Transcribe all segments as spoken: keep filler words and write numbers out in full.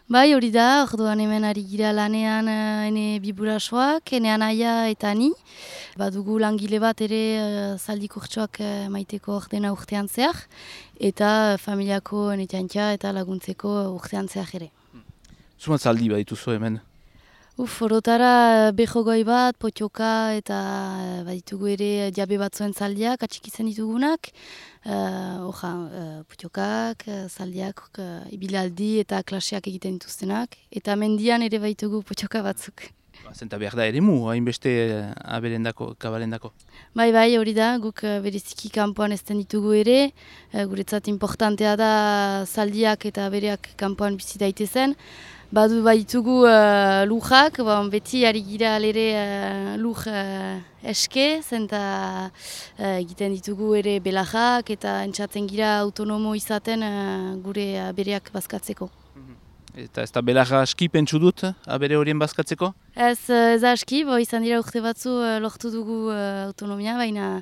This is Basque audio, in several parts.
Bai, hori da, orduan hemen ari gira lanean uh, ene biburasoak, ene anaia eta ni. Badugu langile bat ere uh, zaldi kurtsoak uh, maiteko ordena urtean zehar, eta uh, familiako ene txantxa eta laguntzeko urtean zehar ere. Zumat zaldi badituzu hemen? Uf, orotara behogoi bat, potioka eta uh, baditugu ere jabe batzuen zaldiak, atxikitzen ditugunak. Uh, Oja, uh, putiokak, uh, zaldiak, uh, ibilaldi eta klaseak egiten dituztenak. Eta mendian ere baitugu potioka batzuk. Zenta behar da ere mu, hainbeste aberendako, kabalendako. Bai, bai, hori da, guk uh, bereziki kanpoan ezten ditugu ere. Uh, guretzat importantea da zaldiak eta bereak kanpoan bizi daitezen. Badu baitugu uh, lujak, bon, beti ari gira alere uh, luj uh, eske, zenta uh, egiten ditugu ere belajak eta entzaten gira autonomo izaten uh, gure uh, bereak bazkatzeko. Eta ez da belaja aski pentsu dut, abere horien bazkatzeko? Ez, ez aski, bo izan dira urte batzu uh, lortu dugu uh, autonomia, baina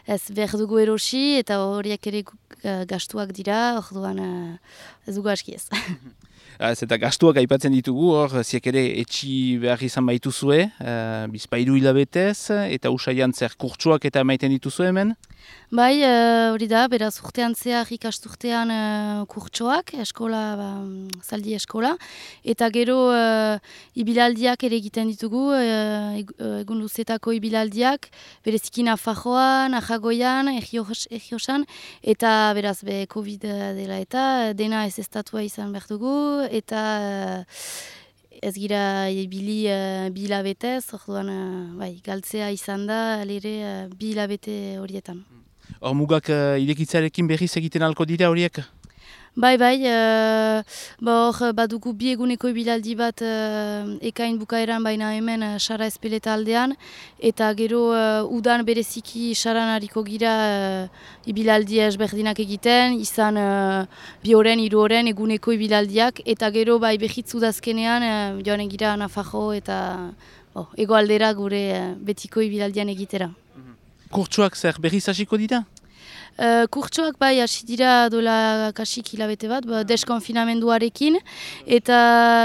ez behar dugu erosi eta horiek ere uh, gastuak dira, orduan uh, ez dugu aski ez. Ez eta gastuak aipatzen ditugu, hor, ziek ere etxi behar izan baituzue, uh, bizpairu hilabetez, eta usaian zer kurtsuak eta maiten dituzue hemen? Bai, hori uh, da, beraz urtean zehar ikasturtean uh, kurtsoak, eskola, ba, zaldi eskola, eta gero uh, ibilaldiak ere egiten ditugu, uh, egun luzetako ibilaldiak, bereziki Nafarroan, Ajagoian, Errioxan, eta beraz be Covid dela eta dena ez estatua izan behar dugu, eta uh, ez gira ibili uh, bi hilabetez, orduan uh, bai, galtzea izan da, alere uh, bi hilabete horietan. Hor mugak uh, irekitzarekin berriz egiten alko dira horiek? Bai, bai, uh, hor badugu bi eguneko ibilaldi bat uh, ekain bukaeran baina hemen uh, Sara Espeleta aldean, eta gero uh, udan bereziki Saran hariko gira uh, ibilaldi ezberdinak egiten, izan uh, bi horren, hiru horren eguneko ibilaldiak, eta gero bai behitz udazkenean uh, joan egira Nafarro eta oh, egoaldera gure uh, betiko ibilaldian egitera. Kurtsuak zer berriz hasiko dira? Uh, kurtsoak bai hasi dira dola kasik hilabete bat, ba, deskonfinamenduarekin, eta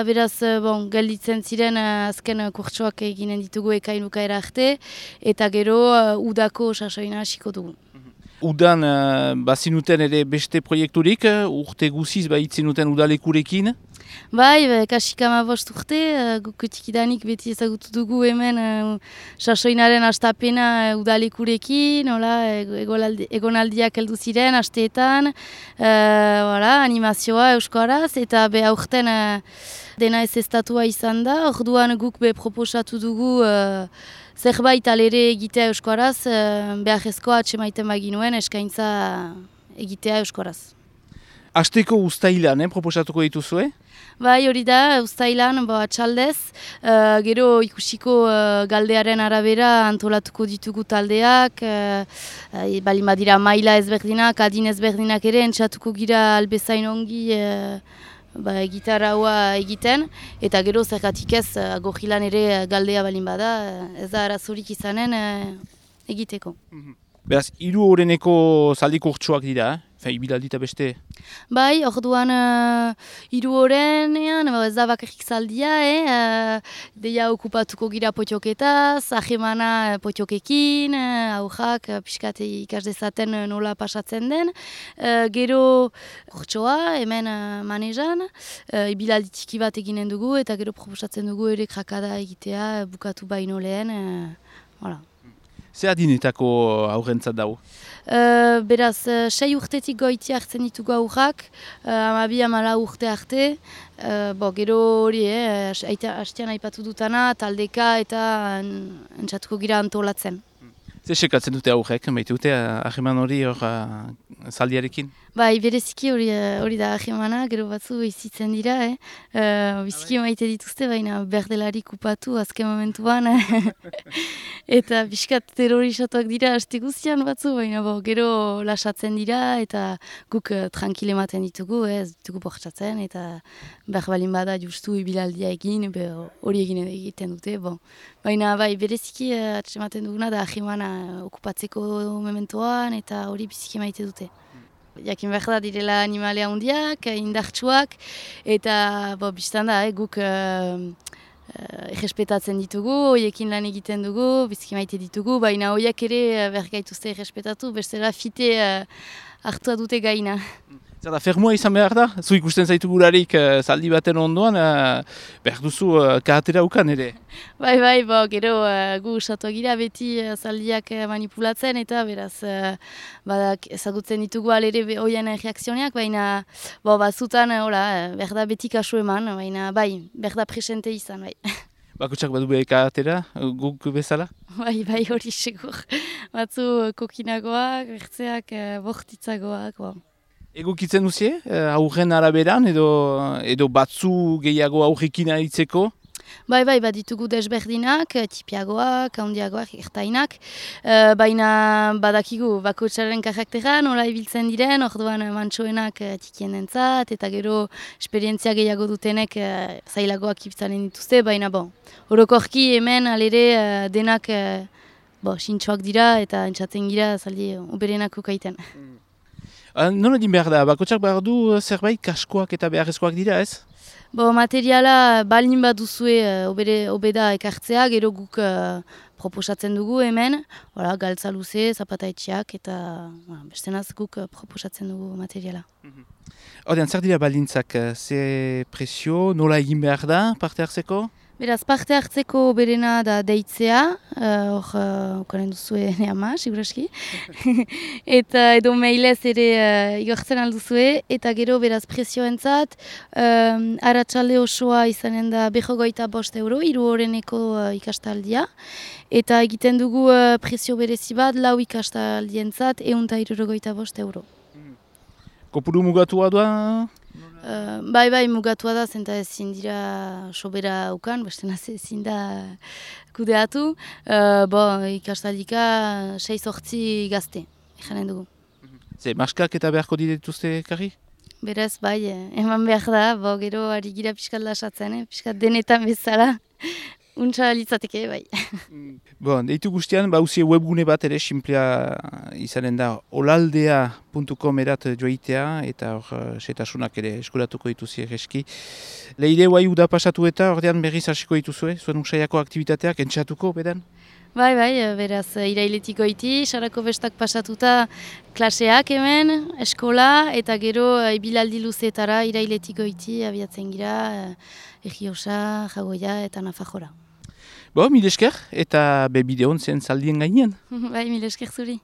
beraz bon, gelditzen ziren uh, azken kurtsoak eginen ditugu ekain bukaera arte, eta gero uh, udako sasoina hasiko dugu. Udan uh, bazinuten ere beste proiekturik, uh, urte guziz baitzinuten udalekurekin? Bai, be, kasik amabost urte, uh, guk tikidanik beti ezagutu dugu hemen uh, sasoinaren astapena uh, udalekurekin, hola, egolaldi, egonaldiak heldu ziren, asteetan, uh, hola, animazioa euskaraz, eta be aurten uh, dena ez estatua izan da, orduan guk be proposatu dugu uh, zerbait alere egitea euskaraz, uh, beharrezkoa atxemaiten baginuen eskaintza egitea euskaraz. Asteko uztailan, eh, proposatuko dituzue? Bai, hori da, uztailan, bo, atxaldez, uh, gero ikusiko uh, galdearen arabera antolatuko ditugu taldeak, uh, uh, balin badira maila ezberdinak, adin ezberdinak ere, entzatuko gira albezain ongi uh, ba, gitarraua egiten, eta gero zergatik ez, uh, gojilan ere galdea balin bada, ez da arazorik izanen uh, egiteko. Mm-hmm. Beraz, hiru horreneko zaldi kurtsuak dira, eh? Ibilaldi eta beste? Bai, orduan uh, hiru horrenean, ez da bakarrik zaldia, eh? uh, deia okupatuko gira potioketaz, ahemana potiokekin, uh, aurrak, uh, pixkat ikas dezaten nola pasatzen den. Uh, gero kurtsoa, hemen uh, manezan, uh, ibilaldi txiki bat eginen dugu, eta gero proposatzen dugu ere krakada egitea, bukatu baino lehen, uh, voilà. Zer adinetako aurrentzat dago? Uh, beraz, uh, sei urtetik goiti hartzen ditugu aurrak, uh, amabi amala urte arte, uh, bo, gero hori, eh, hastean aipatu dutana, taldeka eta entzatuko gira antolatzen. Zer sekatzen dute aurrek, baita dute aheman hori hor uh, zaldiarekin? Bai, bereziki hori, hori da ahemana, gero batzu izitzen dira, eh? Uh, biziki maite dituzte, baina berdelarik upatu azken momentuan. Eta pixkat terrorisatuak dira haste guztian batzu, baina bo, gero lasatzen dira eta guk uh, tranquil ematen ditugu, ez eh? ditugu bortxatzen, eta behar balin bada justu ibilaldia egin, hori egin egiten dute. Bon. Baina bai, bereziki uh, atsematen duguna da ahemana okupatzeko mementoan, eta hori biziki maite dute. Jakin behar da direla animalea handiak, indartsuak, eta bo, biztan da, eh, guk uh, uh, errespetatzen ditugu, hoiekin lan egiten dugu, bizki maite ditugu, baina hoiak ere behar gaituzte errespetatu, bestela fite uh, hartua dute gaina. Zer da, fermoa izan behar da? Zu ikusten zaitu gurarik uh, zaldi baten ondoan, uh, behar duzu uh, karatera ukan ere? Bai, bai, bo, gero uh, gu usatu gira beti uh, zaldiak uh, manipulatzen eta beraz uh, badak ezagutzen ditugu alere hoien reakzioneak, baina bo, batzutan uh, uh, behar da beti kasu eman, baina bai, behar da presente izan, bai. Bakutsak badu behe karatera, guk bezala? Bai, bai, hori segur. Batzu kokinagoak, ertzeak, uh, bortitzagoak, bo. Egokitzen duzie, aurren araberan edo, edo batzu gehiago aurrekin aritzeko? Bai, bai, bat ditugu desberdinak, tipiagoak, handiagoak, ertainak, uh, baina badakigu bakoitzaren karaktera, nola ibiltzen diren, orduan mantsoenak uh, tikien entzat, eta gero esperientzia gehiago dutenek uh, zailagoak ibiltzaren dituzte, baina bon, orokorki hemen alere uh, denak uh, bo, sintxoak dira eta entzatzen gira zaldi uberenak ukaiten. Mm. Uh, Nola din behar da, bakotsak behar du zerbait kaskoak eta beharrezkoak dira ez? Bo, materiala balin bat duzue uh, obeda ekartzea, gero guk uh, proposatzen dugu hemen, Hora, galtza luze, zapataitxeak eta uh, bestenaz guk uh, proposatzen dugu materiala. Hordean, zer dira balintzak, ze presio, nola egin behar da parte hartzeko? Beraz, parte hartzeko berena da deitzea, hor uh, ukaren duzue ne ama, siguraski. Eta edo mailez ere uh, igortzen alduzue, eta gero beraz presioentzat, um, aratsalde osoa izanen da berrogeita bost euro, hiru horreneko uh, ikastaldia. Eta egiten dugu uh, presio berezi bat, lau ikastaldientzat, ehun eta hirurogeita bost euro. Kopuru mugatua da? Uh, bai, bai, mugatua da, zenta ezin dira sobera ukan, bestena ezin da kudeatu. Uh, bo, ikastaldika sei sortzi gazte, ikanen dugu. Ze, maskak eta beharko dituzte karri? Berez, bai, eman behar da, bo, gero ari gira pixkat lasatzen, eh? Pixkat denetan bezala. Untsa litzateke, bai. Bon, deitu guztian, bauzie webgune bat ere, simplea izanen da olaldea puntu com erat joitea, eta hor setasunak ere eskuratuko dituzi egeski. Leire guai uda pasatu eta ordean berriz hasiko dituzue, zuen usaiako aktivitateak entxatuko, bedan? Bai, bai, beraz, irailetiko iti, sarako bestak pasatuta klaseak hemen, eskola, eta gero ibilaldi luzeetara irailetiko iti abiatzen gira, Egiosa, Jagoia eta Nafajora. Bo, mil esker, eta be bideon zen zaldien gainean. Bai, mil esker zuri.